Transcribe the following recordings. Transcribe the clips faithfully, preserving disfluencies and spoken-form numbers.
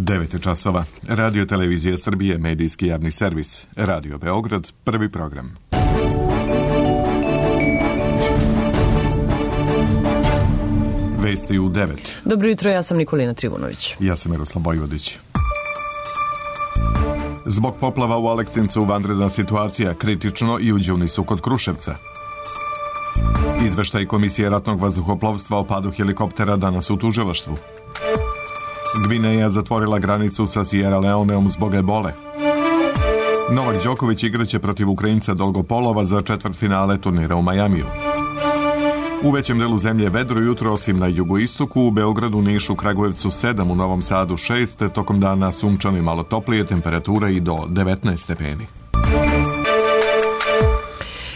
devet časova. Radio Televizija Srbije, medijski javni servis. Radio Beograd, prvi program. Vesti u devet. Dobro jutro, ja sam Nikolina Trivunović. Ja sam Miroslav Bojvodić. Zbog poplava u Aleksincu vanredna situacija, kritično i u đunisu kod Kruševca. Izveštaj Komisije ratnog vazduhoplovstva o padu helikoptera danas u tužilaštvu. Gvineja zatvorila granicu sa Sierra Leoneom zbog ebole. Novak Đoković igraće protiv Ukrajinca Dolgopolova za četvrtfinale turnira u Majamiju. U većem delu zemlje vedro jutro, osim na jugoistoku, u Beogradu, Nišu, Kragujevcu sedam, u Novom Sadu šest, tokom dana sunčano i malo toplije, temperatura i do devetnaest stepeni.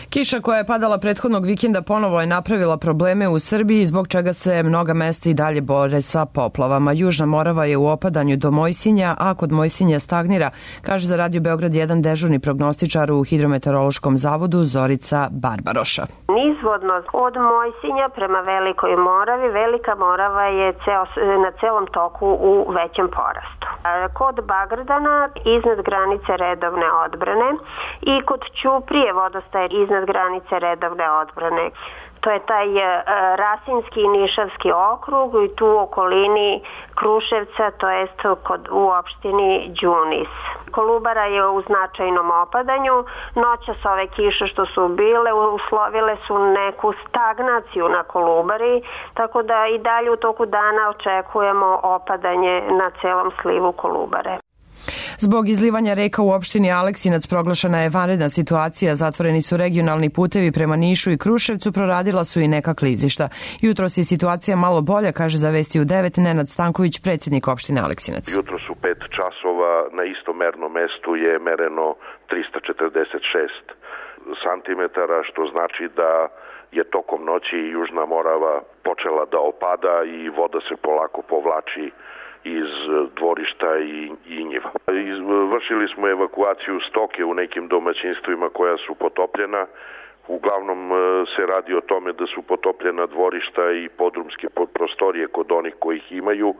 Kiša koja je padala prethodnog vikenda ponovo je napravila probleme u Srbiji, zbog čega se mnoga mesta i dalje bore sa poplavama. Južna Morava je u opadanju do Mojsinja, a kod Mojsinja stagnira, kaže za Radio Beograd jedan dežurni prognostičar u Hidrometeorološkom zavodu Zorica Barbaroša. Nizvodno od Mojsinja prema Velikoj Moravi, Velika Morava je ceo, na celom toku u većem porastu. Kod Bagrdana iznad granice redovne odbrane i kod Ćuprije vodostaje iznad granice redovne odbrane. To je taj e, Rasinski i Nišavski okrug i tu u okolini Kruševca, to jest kod, u opštini Đunis. Kolubara je u značajnom opadanju. Noćas ove kiše što su bile uslovile su neku stagnaciju na Kolubari, tako da i dalje u toku dana očekujemo opadanje na celom slivu Kolubare. Zbog izlivanja reka u opštini Aleksinac proglašena je vanredna situacija, zatvoreni su regionalni putevi prema Nišu i Kruševcu, proradila su i neka klizišta. Jutros je situacija malo bolja, kaže za Vesti u devet Nenad Stanković, predsjednik opštine Aleksinac. Jutros u pet časova na istom mernom mestu je mereno trista četrdeset šest santimetara, što znači da je tokom noći Južna Morava počela da opada i voda se polako povlači iz dvorišta i, i njiva. Vršili smo evakuaciju stoke u nekim domaćinstvima koja su potopljena. Uglavnom se radi o tome da su potopljena dvorišta i podrumske prostorije kod onih kojih imaju,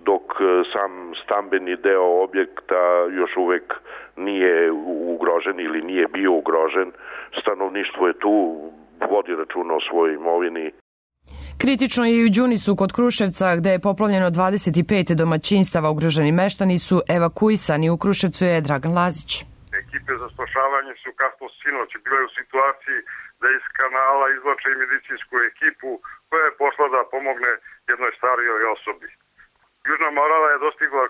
dok sam stambeni deo objekta još uvek nije ugrožen ili nije bio ugrožen. Stanovništvo je tu, vodi računa o svojoj imovini. Kritično je i u Đunisu kod Kruševca, gde je poplavljeno dvadeset pet domaćinstava. Ugroženi meštani su evakuisani. U Kruševcu je Dragan Lazić. Ekipe za spašavanje su kasno sinoć bile u situaciji da iz kanala izvlače i medicinsku ekipu koja je pošla da pomogne jednoj starijoj osobi. Južna Morava je dostigla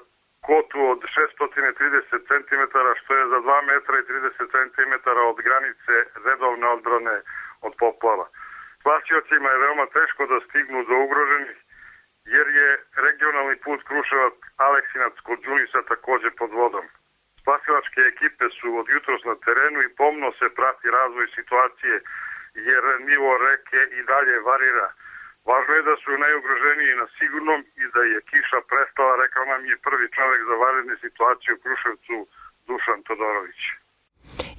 kotu od šessto trideset centimetara, što je za dva metra i trideset centimetara od granice redovne odbrane od poplava. Spasiocima je veoma teško da stignu do ugroženih, jer je regionalni put Kruševac-Aleksinac kod Đunisa takođe pod vodom. Spasilačke ekipe su od jutros na terenu i pomno se prati razvoj situacije, jer nivo reke i dalje varira. Važno je da su najugroženiji na sigurnom i da je kiša prestala, rekao nam je prvi čovek za vanredne situacije u Kruševcu, Dušan Todorović.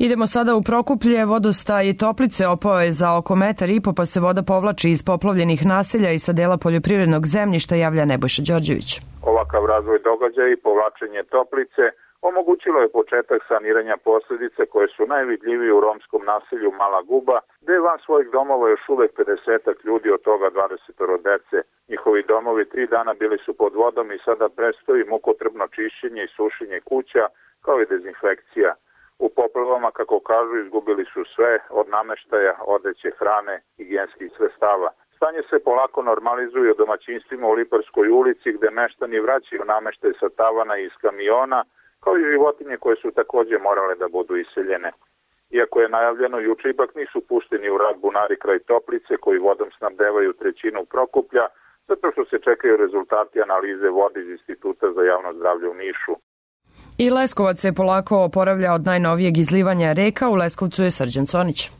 Idemo sada u Prokuplje. Vodostaj Toplice opao je za oko metar i po, pa se voda povlači iz poplavljenih naselja i sa dela poljoprivrednog zemljišta, javlja Nebojša Đorđević. Ovakav razvoj događaja i povlačenje Toplice omogućilo je početak saniranja posljedice koje su najvidljivije u romskom naselju Mala Guba, gde je van svojih domova još uvek pedesetak ljudi, od toga dvadeset dece. Njihovi domovi tri dana bili su pod vodom i sada predstoji mukotrpno čišćenje i sušenje kuća, kao i dezinfekcija. U poplavama, kako kažu, izgubili su sve, od nameštaja, odeće, hrane, higijenskih sredstava. Stanje se polako normalizuje u domaćinstvima u Liparskoj ulici, gde meštani vraćaju nameštaj sa tavana i iz kamiona, kao i životinje koje su takođe morale da budu iseljene. Iako je najavljeno juče, ipak nisu pušteni u rad bunari kraj Toplice, koji vodom snabdevaju trećinu Prokuplja, zato što se čekaju rezultati analize vode iz Instituta za javno zdravlje u Nišu. I Leskovac se polako oporavlja od najnovijeg izlivanja reka. U Leskovcu je Srđan Conić.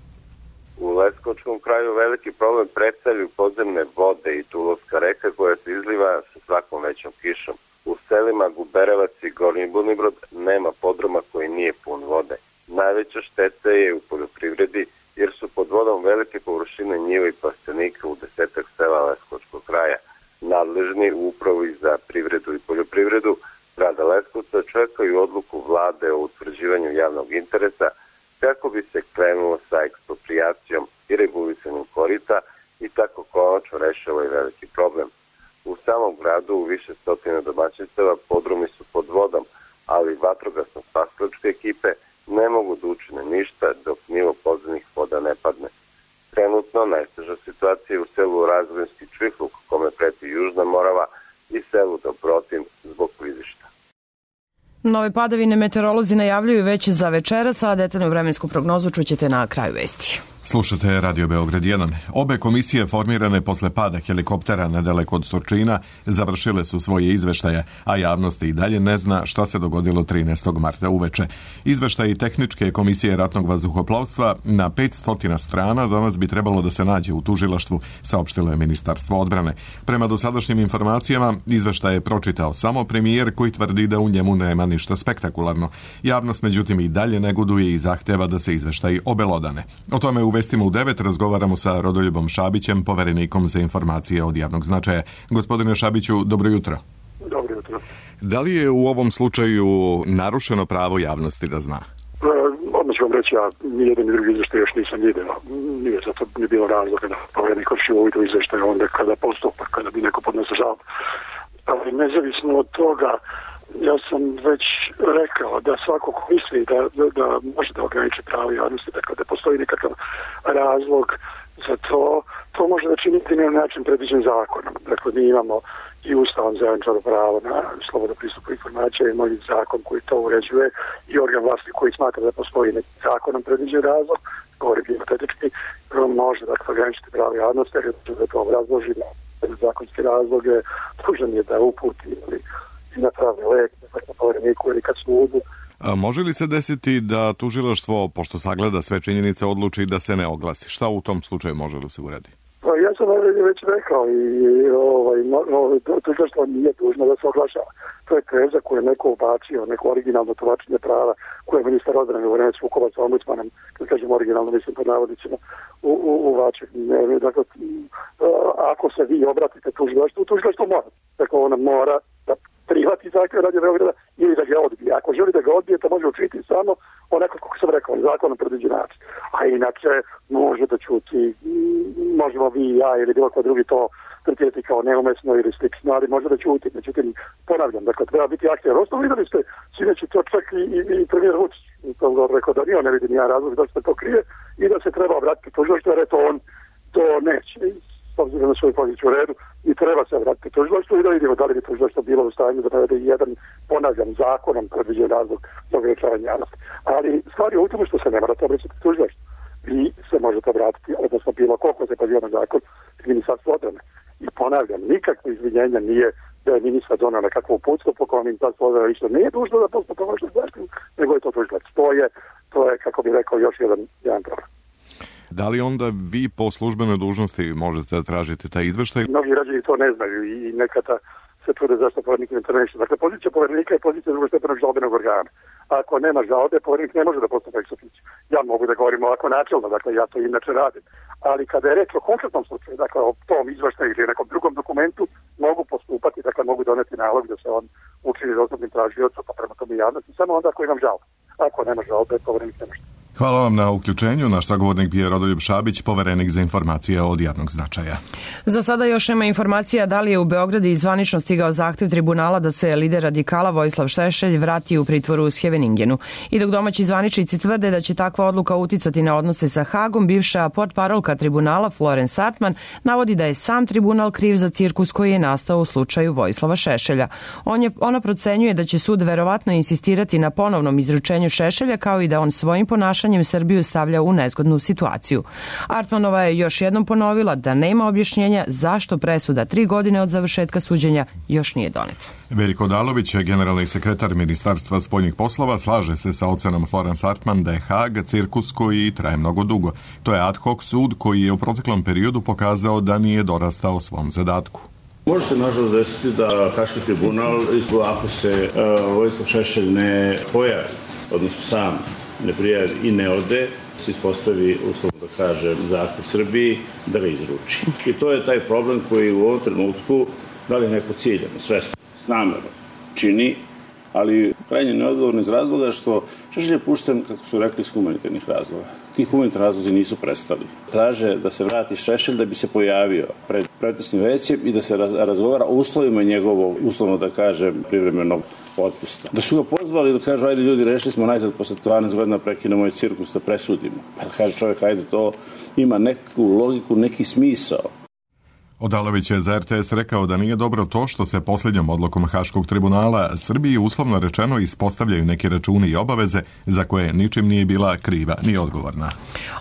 U Leskovačkom kraju veliki problem predstavljaju podzemne vode i Tulovska reka koja se izliva sa svakom većom kišom. U selima Guberevac i Gornji Budnibrod nema podruma koji nije pun vode. Najveća šteta je u poljoprivredi jer su pod vodom velike površine njiva i plastenika u desetak sela Leskovačkog kraja. Nadležni u upravi za privredu i poljoprivredu grada Leskovca čekaju odluku vlade o utvrđivanju javnog interesa kako bi se krenulo sa eksproprijacijom i regulisanjem korita i tako konačno rešio ovaj veliki problem. U samom gradu u više stotina domaćinstava podrumi su pod vodom, ali vatrogasno spasilačke ekipe ne mogu da učine ništa dok nivo podzemnih voda ne padne. Trenutno najteža situacija je u selu Razvojinski Čvihluk, kome preti Južna Morava, i selu Dobrotin zbog klizišta. Nove padavine meteorolozi najavljuju već za večeras, a detaljnu vremensku prognozu čućete na kraju vesti. Slušate Radio Beograd jedan. Obe komisije formirane posle pada helikoptera nedaleko od Surčina završile su svoje izveštaje, a javnost i dalje ne zna šta se dogodilo trinaestog marta uveče. Izveštaji tehničke komisije ratnog vazduhoplovstva na petsto strana danas bi trebalo da se nađe u tužilaštvu, saopštilo je Ministarstvo odbrane. Prema dosadašnjim informacijama, izveštaj je pročitao samo premijer koji tvrdi da u njemu nema ništa spektakularno. Javnost međutim i dalje neguduje i zahteva da se izveštaji obelodane. O tome u Vestima u devet razgovaramo sa Rodoljubom Šabićem, poverenikom za informacije od javnog značaja. Gospodine Šabiću, dobro jutro. Dobro jutro. Da li je u ovom slučaju narušeno pravo javnosti da zna? E, odmah ću vam reći, ja nijedan i drugi izveštaj još nisam vidio. Nije zato ni bilo razloga da poverenik vrši uvid u izveštaj onda kada postupak, kada bi neko podnosio žalbu. Ali nezavisno od toga, ja sam već rekao da svako ko misli da, da, da može da ograniči pravo javnosti, dakle da postoji nekakav razlog za to, to može da činiti na način predviđen zakonom. Dakle, mi imamo i Ustavom zajamčeno pravo na slobodan pristup informacija, imamo i zakon koji to uređuje i organ vlasti koji smatra da postoji neki zakonom predviđen razlog, govori hipotetički, može dakle ograničiti pravo javnosti, jer da to obrazloži na zakonske razloge, dužan je da uputi ili na pravni lek, na povereniku ili kad sudu. A može li se desiti da tužilaštvo, pošto sagleda sve činjenice, odluči da se ne oglasi? Šta u tom slučaju može da se uradi? Pa ja sam već rekao i ovaj, ovaj, tužilaštvo nije dužno da se oglašava. To je teza koju je neko ubačio, neko originalno tumačenje prava koje je ministar odbrane u vreme sukoba sa ombudsmanom, kad kažem originalno, mislim pod navodnicima, u, u, uvačio. Dakle, ako se vi obratite tužilaštvu, tužilaštvo mora. Dakle, ona mora da prihvati zahtjev Radio Beograda ili da ga odbije. Ako želi da ga odbije, to može učiniti samo onako kako sam rekao, zakonom predviđen način. A inače može da čuti, možemo vi i ja ili bilo ko drugi to tretirati kao neumesno ili slično, ali može da čuti. Međutim, ponavljam, dakle, treba biti aktivan. Ostalo videli ste, sinoć to čak i, i, i premijer Vučić, to je rekao da nije, on ne vidi nijedan razlog da se to krije i da se treba obratiti tužilaštvu, jer eto on to neće. S obzirom na svoju poziciju u redu i treba se vratiti tužilaštvu i da vidimo da li bi tužilaštvo bilo u stanju da navede jedan, ponavljam, zakonom predviđen razlog za ograničavanje javnosti. Ali stvar je u tome što se ne morate obratiti tužilaštvu. Vi se možete obratiti, odnosno bilo koliko se poziva na zakon iz Ministarstva odbrane. I ponavljam, nikakvo izvinjenja nije da je ministar donao nekakvo uputstvo po kojem Ministarstvo odbrane više nije dužno da postupa vašu zaštitu, nego je to tužilaštvo. To je, to je, kako bih rekao, još jedan, jedan problem. Da li onda vi po službenoj dužnosti možete da tražite taj izveštaj? Mnogi građani to ne znaju i nekada se trude zašto poverenik ne intervenira. Dakle, pozicija poverenika je pozicija drugostepenog žalbenog organa. Ako nema žalbe, poverenik ne može da postupa ex officio. Ja mogu da govorim ovako načelno, dakle ja to inače radim. Ali kada je reč o konkretnom slučaju, dakle o tom izveštaju ili nekom drugom dokumentu, mogu postupati, dakle mogu doneti nalog da se on učini dostupnim tražiocu, pa prema tome javnosti, samo onda ako imam žalbu. Ako nema žalbe, poverenik ne može. Hvala vam na uključenju. Naš sagovornik bio Rodoljub Šabić, poverenik za informacije od javnog značaja. Za sada još nema informacija da li je u Beogradu i zvanično stigao zahtev tribunala da se lider radikala Vojislav Šešelj vrati u pritvoru u Scheveningenu. I dok domaći zvaničnici tvrde da će takva odluka uticati na odnose sa Hagom, bivša portparolka tribunala Florence Hartman navodi da je sam tribunal kriv za cirkus koji je nastao u slučaju Vojislava Šešelja. On je, ona procenjuje da će sud verovatno insistirati na ponovnom izručenju Šešelja, kao i da on svojim ponašanjem Srbiju stavlja u nezgodnu situaciju. Artmanova je još jednom ponovila da nema objašnjenja zašto presuda tri godine od završetka suđenja još nije doneta. Veljko Odalović, generalni sekretar Ministarstva spoljnih poslova, slaže se sa ocenom Florence Hartman da je Hag cirkus koji traje mnogo dugo. To je ad hoc sud koji je u proteklom periodu pokazao da nije dorastao svom zadatku. Može se nažalost desiti da Haški tribunal, ako se uh, Vojislav Šešelj ne pojavi, odnosno sam ne prijavi i ne ode, se ispostavi, uslovno da kažem, zahtev Srbiji da ga izruči. I to je taj problem koji u ovom trenutku, da li neko ciljano, svesno, s namerom čini, ali krajnje neodgovorno iz razloga što Šešelj je pušten, kako su rekli, iz humanitarnih razloga. Ti humanitarni razlozi nisu prestali. Traže da se vrati Šešelj da bi se pojavio pred pretresnim većem i da se razgovara o uslovima njegovog, uslovno da kažem, privremenog otpusta. Da su ga pozvali da kažu, ajde ljudi, rešili smo najzad posle dvanaest godina prekinemo ovaj cirkus da presudimo. Pa da kaže čovjek, ajde, to ima neku logiku, neki smisao. Odalović je za er te es rekao da nije dobro to što se posljednjom odlukom Haškog tribunala Srbiji uslovno rečeno ispostavljaju neki računi i obaveze za koje ničim nije bila kriva ni odgovorna.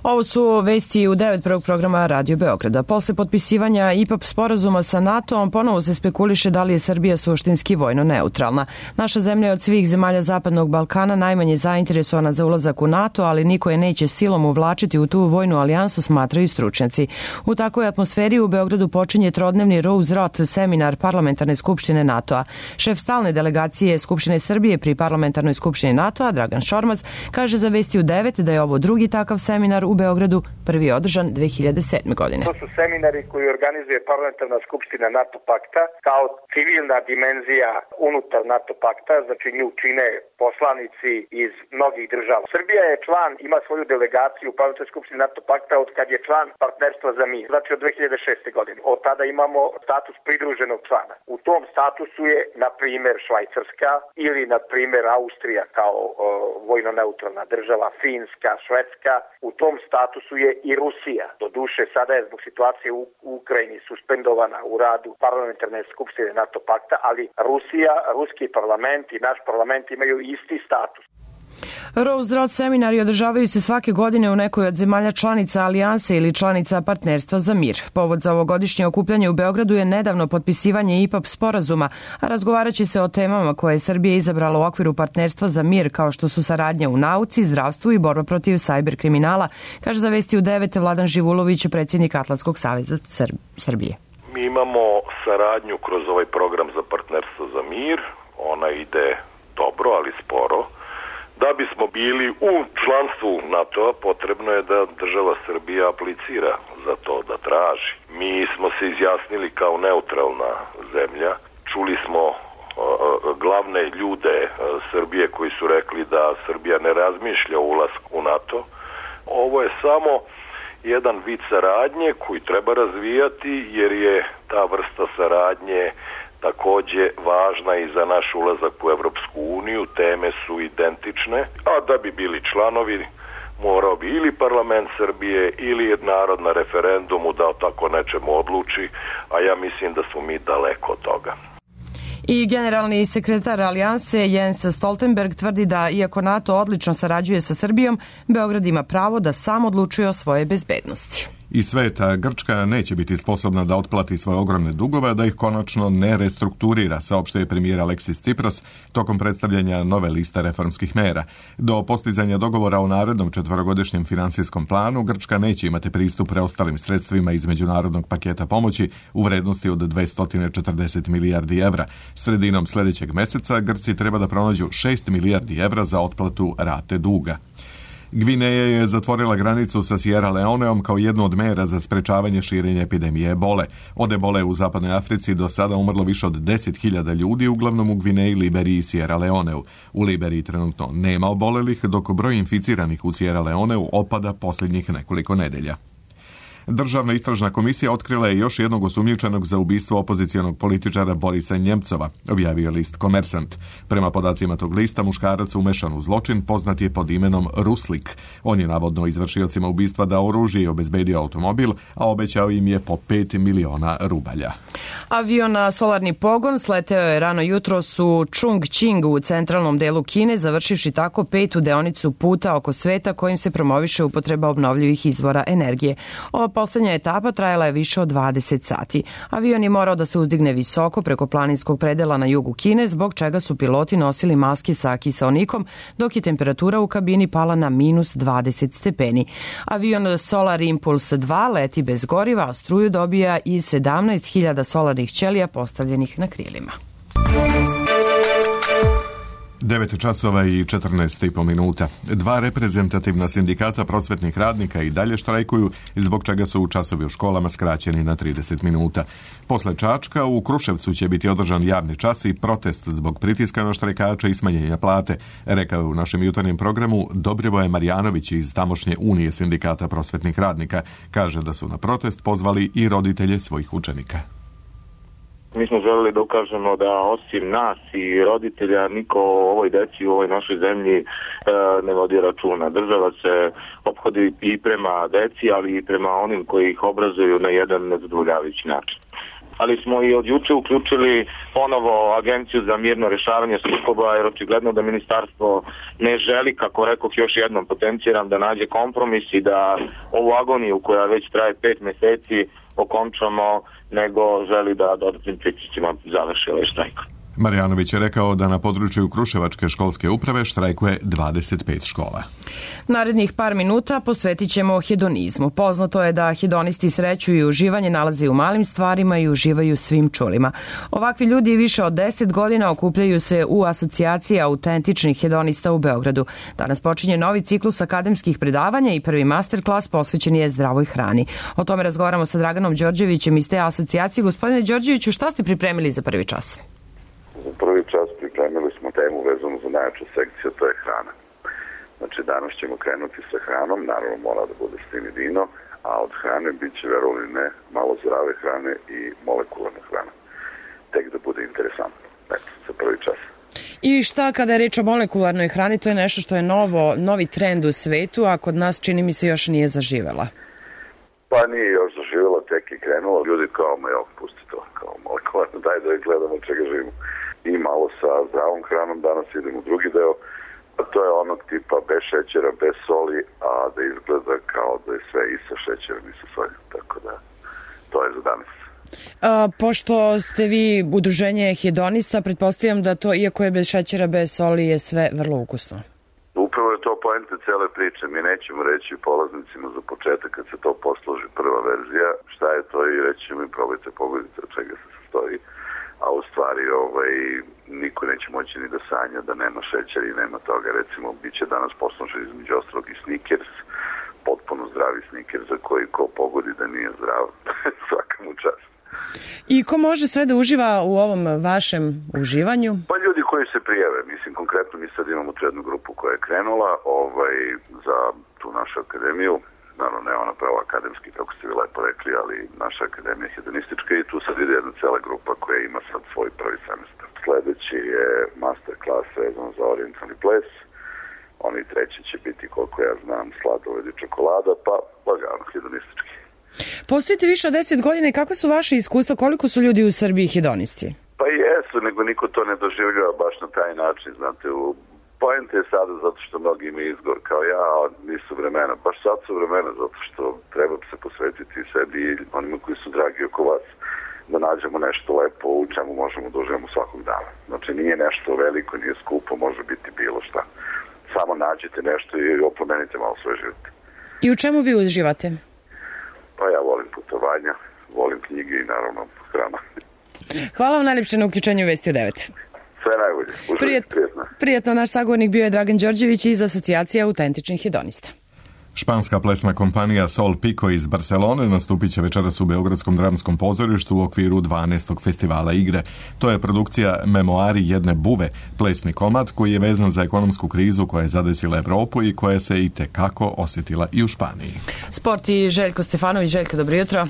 Ovo su vesti u devet prvog programa Radio Beograda. Posle potpisivanja I P A P sporazuma sa NATO-om ponovo se spekuliše da li je Srbija suštinski vojno neutralna. Naša zemlja je od svih zemalja Zapadnog Balkana najmanje zainteresovana za ulazak u NATO, ali niko je neće silom uvlačiti u tu vojnu alijansu, smatraju stručnjaci. U takvoj atmosferi u Beogradu počinje trodnevni Rose-Roth seminar Parlamentarne skupštine NATO-a. Šef stalne delegacije Skupštine Srbije pri Parlamentarnoj skupštini NATO-a, Dragan Šormaz, kaže za Vesti u devet da je ovo drugi takav seminar u Beogradu, prvi je održan dve hiljade sedme. godine. To su seminari koji organizuje Parlamentarna skupština NATO pakta kao civilna dimenzija unutar NATO pakta, znači nju čine poslanici iz mnogih država. Srbija je član, ima svoju delegaciju u Parlamentarnoj skupštini NATO pakta od kad je član Partnerstva za mir, znači od dve hiljade šeste. godine. Od tada imamo status pridruženog člana. U tom statusu je, na primjer, Švajcarska ili, na primjer, Austrija kao o, vojno-neutralna država, Finska, Švedska. U tom statusu je i Rusija. Doduše, sada je zbog situacije u Ukrajini suspendovana u radu Parlamentarne skupštine NATO pakta, ali Rusija, ruski parlament i naš parlament imaju isti status. Rose-Roth seminari održavaju se svake godine u nekoj od zemalja članica alijanse ili članica Partnerstva za mir. Povod za ovogodišnje okupljanje u Beogradu je nedavno potpisivanje I P A P sporazuma, a razgovaraće se o temama koje je Srbija izabrala u okviru Partnerstva za mir, kao što su saradnja u nauci, zdravstvu i borba protiv sajber kriminala, kaže za Vesti u devet Vladan Živulović, predsjednik Atlantskog saveza Srbije. Mi imamo saradnju kroz ovaj program za Partnerstvo za mir. Ona ide dobro, ali sporo. Da bismo bili u članstvu NATO-a, potrebno je da država Srbija aplicira za to, da traži. Mi smo se izjasnili kao neutralna zemlja. Čuli smo uh, glavne ljude uh, Srbije koji su rekli da Srbija ne razmišlja o ulasku u NATO. Ovo je samo jedan vid saradnje koji treba razvijati, jer je ta vrsta saradnje takođe važna i za naš ulazak u Evropsku uniju. Teme su identične, a da bi bili članovi morao bi ili parlament Srbije ili narod na referendumu da o tako nečemu odluči, a ja mislim da smo mi daleko od toga. I generalni sekretar alijanse Jens Stoltenberg tvrdi da, iako NATO odlično sarađuje sa Srbijom, Beograd ima pravo da sam odlučuje o svoje bezbednosti. I sveta Grčka neće biti sposobna da otplati svoje ogromne dugove, da ih konačno ne restrukturira, saopštio je premijer Aleksis Tsipras tokom predstavljanja nove liste reformskih mera. Do postizanja dogovora o narednom četvorogodišnjem finansijskom planu, Grčka neće imati pristup preostalim sredstvima iz međunarodnog paketa pomoći u vrednosti od dvesta četrdeset milijardi evra. Sredinom sljedećeg meseca Grci treba da pronađu šest milijardi evra za otplatu rate duga. Gvineja je zatvorila granicu sa Sierra Leoneom kao jednu od mera za sprečavanje širenja epidemije ebole. Od ebole u zapadnoj Africi do sada umrlo više od deset hiljada ljudi, uglavnom u Gvineji, Liberiji i Sierra Leoneu. U Liberiji trenutno nema obolelih, dok broj inficiranih u Sierra Leoneu opada posljednjih nekoliko nedelja. Državna istražna komisija otkrila je još jednog osumnjičenog za ubistvo opozicionog političara Borisa Njemcova, objavio list Komersant. Prema podacima tog lista, muškarac umešan u zločin poznat je pod imenom Ruslik. On je navodno izvršiocima ubistva dao oružje i obezbedio automobil, a obećao im je po pet miliona rubalja. Avion na solarni pogon sleteo je rano jutros u Chongqing u centralnom delu Kine, završivši tako petu deonicu puta oko sveta kojim se promoviše upotreba obnovljivih izvora energije. Ova poslednja etapa trajala je više od dvadeset sati. Avion je morao da se uzdigne visoko preko planinskog predela na jugu Kine, zbog čega su piloti nosili maske sa kiseonikom, dok je temperatura u kabini pala na minus dvadeset stepeni. Avion Solar Impulse dva leti bez goriva, a struju dobija iz sedamnaest hiljada solarnih ćelija postavljenih na krilima. devet časova i četrnaest i po minuta. Dva reprezentativna sindikata prosvetnih radnika i dalje štrajkuju, zbog čega su časovi u školama skraćeni na trideset minuta. Posle Čačka u Kruševcu će biti održan javni čas i protest zbog pritiska na štrajkače i smanjenja plate, rekao je u našem jutarnjem programu Dobrivoje Marjanović iz tamošnje Unije sindikata prosvetnih radnika. Kaže da su na protest pozvali i roditelje svojih učenika. Mi smo želeli da ukažemo da osim nas i roditelja niko o ovoj deci u ovoj našoj zemlji e, ne vodi računa. Država se ophodi i prema deci, ali i prema onim koji ih obrazuju na jedan nezadovoljavajući način. Ali smo i od juče uključili ponovo Agenciju za mirno rešavanje sukoba, jer očigledno da ministarstvo ne želi, kako rekoh još jednom potenciram, da nađe kompromis i da ovu agoniju koja već traje pet meseci okončamo, nego želi da dodatnim pritiscima završi ovaj štrajk. Marjanović je rekao da na području Kruševačke školske uprave štrajkuje dvadeset pet škola. Narednih par minuta posvetit ćemo hedonizmu. Poznato je da hedonisti sreću i uživanje nalaze u malim stvarima i uživaju svim čulima. Ovakvi ljudi više od deset godina okupljaju se u asocijaciji autentičnih hedonista u Beogradu. Danas počinje novi ciklus akademskih predavanja i prvi masterklas posvećen je zdravoj hrani. O tome razgovaramo sa Draganom Đorđevićem iz te asocijacije. Gospodine Đorđeviću, šta ste pripremili za prvi čas? Za prvi čas pripremili smo temu vezanu za najjaču sekciju, to je hrana. Znači danas ćemo krenuti sa hranom, naravno mora da bude sin i vino, a od hrane bit će, verovali ne, malo zdrave hrane i molekularna hrana. Tek da bude interesantno. Eto, za prvi čas. I šta kada je reč o molekularnoj hrani, to je nešto što je novo, novi trend u svetu, a kod nas čini mi se još nije zaživela. Pa nije još zaživela, tek je krenula. Ljudi kao, ma jel, pusti to, kao molekularno, daj da je gledamo čega živimo. I malo sa zdravom hranom, danas idemo u drugi deo, a to je onog tipa bez šećera, bez soli, a da izgleda kao da je sve i sa šećerom i sa soljom, tako da to je za danas. A, pošto ste vi udruženje hedonista, pretpostavljam da to, iako je bez šećera, bez soli, je sve vrlo ukusno. Upravo je to poenta cele priče. Mi nećemo reći polaznicima za početak kad se to posloži prva verzija, šta je to i reći ćemo im probajte, pogledajte od čega se sastoji. A u stvari ovaj, niko neće moći ni da sanja da nema šećera i nema toga. Recimo, bit će danas poslužen između ostalog i Snickers, potpuno zdravi Snickers za koji ko pogodi da nije zdrav, svaka mu čast. I ko može sve da uživa u ovom vašem uživanju? Pa ljudi koji se prijave, mislim konkretno mi sad imamo tu jednu grupu koja je krenula ovaj, za tu našu akademiju. Naravno, ne ona pravo akademski, kako ste vi lepo rekli, ali naša akademija je hedonistička i tu sad ide jedna cela grupa koja ima sad svoj prvi semestar. Sledeći je master klas vezan za orijentalni ples, oni treći će biti, koliko ja znam, sladoled i čokolada, pa lagano hedonistički. Postojite više od deset godina i kako su vaše iskustva, koliko su ljudi u Srbiji hedonisti? Pa jesu, nego niko to ne doživljava baš na taj način, znate, u Poenta je sada zato što mnogi imaju izgovor kao ja, a nisu vremena. Baš sad su vremena zato što treba se posvetiti sebi i onima koji su dragi oko vas da nađemo nešto lepo u čemu možemo da uživamo svakog dana. Znači nije nešto veliko, nije skupo, može biti bilo šta. Samo nađite nešto i oplemenite malo svoj život. I u čemu vi uživate? Pa ja volim putovanja, volim knjige i naravno hrana. Hvala vam najljepše na uključenju u Vesti u devet. Sve najbolje. Uživite, Prijet, prijetno. Prijetno, naš sagovornik bio je Dragan Đorđević iz asocijacije autentičnih hedonista. Španska plesna kompanija Sol Pico iz Barcelone nastupit će večeras u Beogradskom dramskom pozorištu u okviru dvanaestog festivala igre. To je produkcija Memoari jedne buve, plesni komad koji je vezan za ekonomsku krizu koja je zadesila Evropu i koja se i tekako osjetila i u Španiji. Sport i Željko Stefanović. Željko, dobro jutro.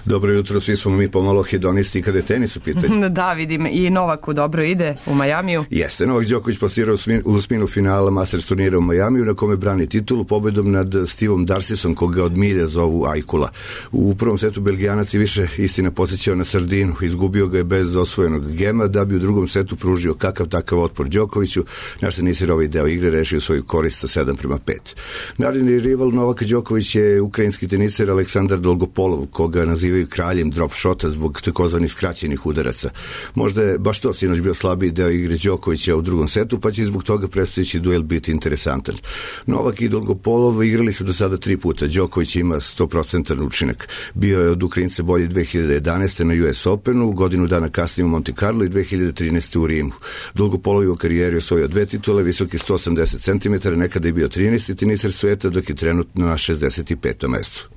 Dobro jutro, svi smo mi pomalo hedonisti kada je tenis u pitanju. Da, vidim, i Novaku dobro ide u Majamiju. Jeste, Novak Đoković plasirao u osminu finala Masters turnira u Majamiju na kome brani titulu pobedom nad Stevom Darcisom, koga od milja zovu Ajkula. U prvom setu Belgijanac je više istina podsjećao na sardinu, izgubio ga je bez osvojenog gema, da bi u drugom setu pružio kakav takav otpor Đokoviću. Naš tenisir ovaj deo igre rešio svoju korist sa sedam prema pet. Naredni rival Novaka Đoković je ukrajinski teniser Aleksandar Dolgopolov, koga nazivaju kraljem drop shota zbog takozvanih skraćenih udaraca. Možda je baš to sinoć bio slabiji deo igre Đokovića u drugom setu, pa će zbog toga predstojeći duel biti interesantan. Novak i Dolgopolov igrali su tenisu do sada tri puta. Đoković ima sto procentan učinak. Bio je od Ukrajinca bolji dve hiljade jedanaeste. na U S Openu, godinu dana kasnije u Monte Carlo i dve hiljade trinaeste. u Rimu. Dugo polovi u karijeri osvojio dve titule, visoki sto osamdeset centimetara, nekada je bio trinaesti teniser sveta, dok je trenutno na šezdeset petom mestu.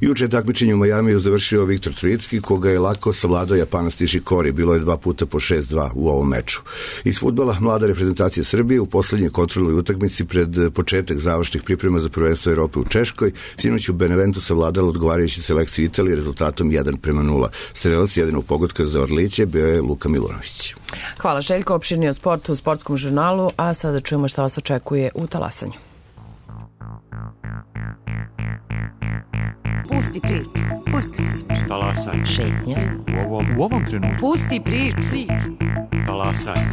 Juče je takmičenje u Majamiju završio Viktor Trojicki, koga je lako savladao Japanac Nishikori. Bilo je dva puta po šest dva u ovom meču. Iz fudbala, mlada reprezentacija Srbije u poslednjoj kontrolnoj utakmici pred početak završnih priprema za prvenstvo Evrope u Češkoj sinoć u Beneventu savladala odgovarajući selekciju Italije rezultatom jedan prema nula. Strelac jedinog pogotka za Orliće bio je Luka Milunović. Hvala Željko, opširnije o sportu u sportskom žurnalu, a sada čujemo šta vas očekuje u talasanju. Pusti priču. Pusti priču. Talasaj. Šetnja. U ovom, u ovom trenutku. Pusti priču. Talasaj.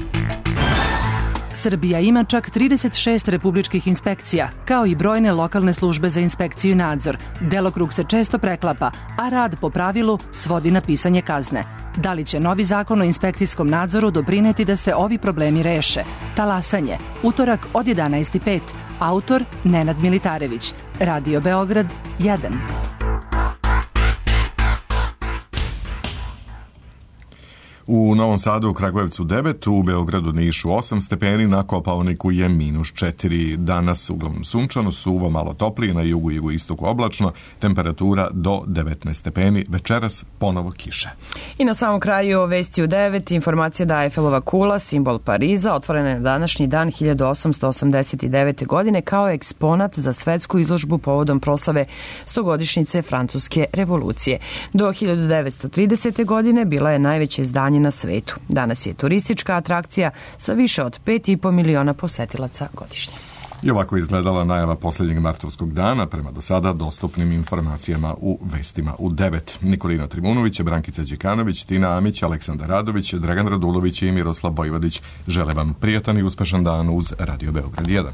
Srbija ima čak trideset šest republičkih inspekcija, kao i brojne lokalne službe za inspekciju i nadzor. Delokrug se često preklapa, a rad po pravilu svodi na pisanje kazne. Da li će novi zakon o inspekcijskom nadzoru doprineti da se ovi problemi reše? Talasanje. Utorak od jedanaest i pet. Autor Nenad Militarević. Radio Beograd jedan. U Novom Sadu, u Kragujevcu devet, u Beogradu, Nišu osam stepeni, na Kopaoniku je minus četiri. Danas uglavnom sunčano, suvo, malo toplije, na jugu i jugoistoku oblačno, temperatura do devetnaest stepeni, večeras ponovo kiše. I na samom kraju vesti u devet, informacija da Eifelova kula, simbol Pariza, otvorena je na današnji dan hiljadu osamsto osamdeset devete. godine kao eksponat za svetsku izložbu povodom proslave stogodišnjice Francuske revolucije. Do hiljadu devetsto tridesete. godine bila je najveće izdanje na svetu. Danas je turistička atrakcija sa više od pet i po miliona posetilaca godišnje. I ovako izgledala najava posljednjeg martovskog dana prema do sada dostupnim informacijama u vestima u devet. Nikolina Trimunović, Brankica Đikanović, Tina Amić, Aleksandar Radović, Dragan Radulović i Miroslav Bojvodić žele vam prijatan i uspešan dan uz Radio Beograd jedan.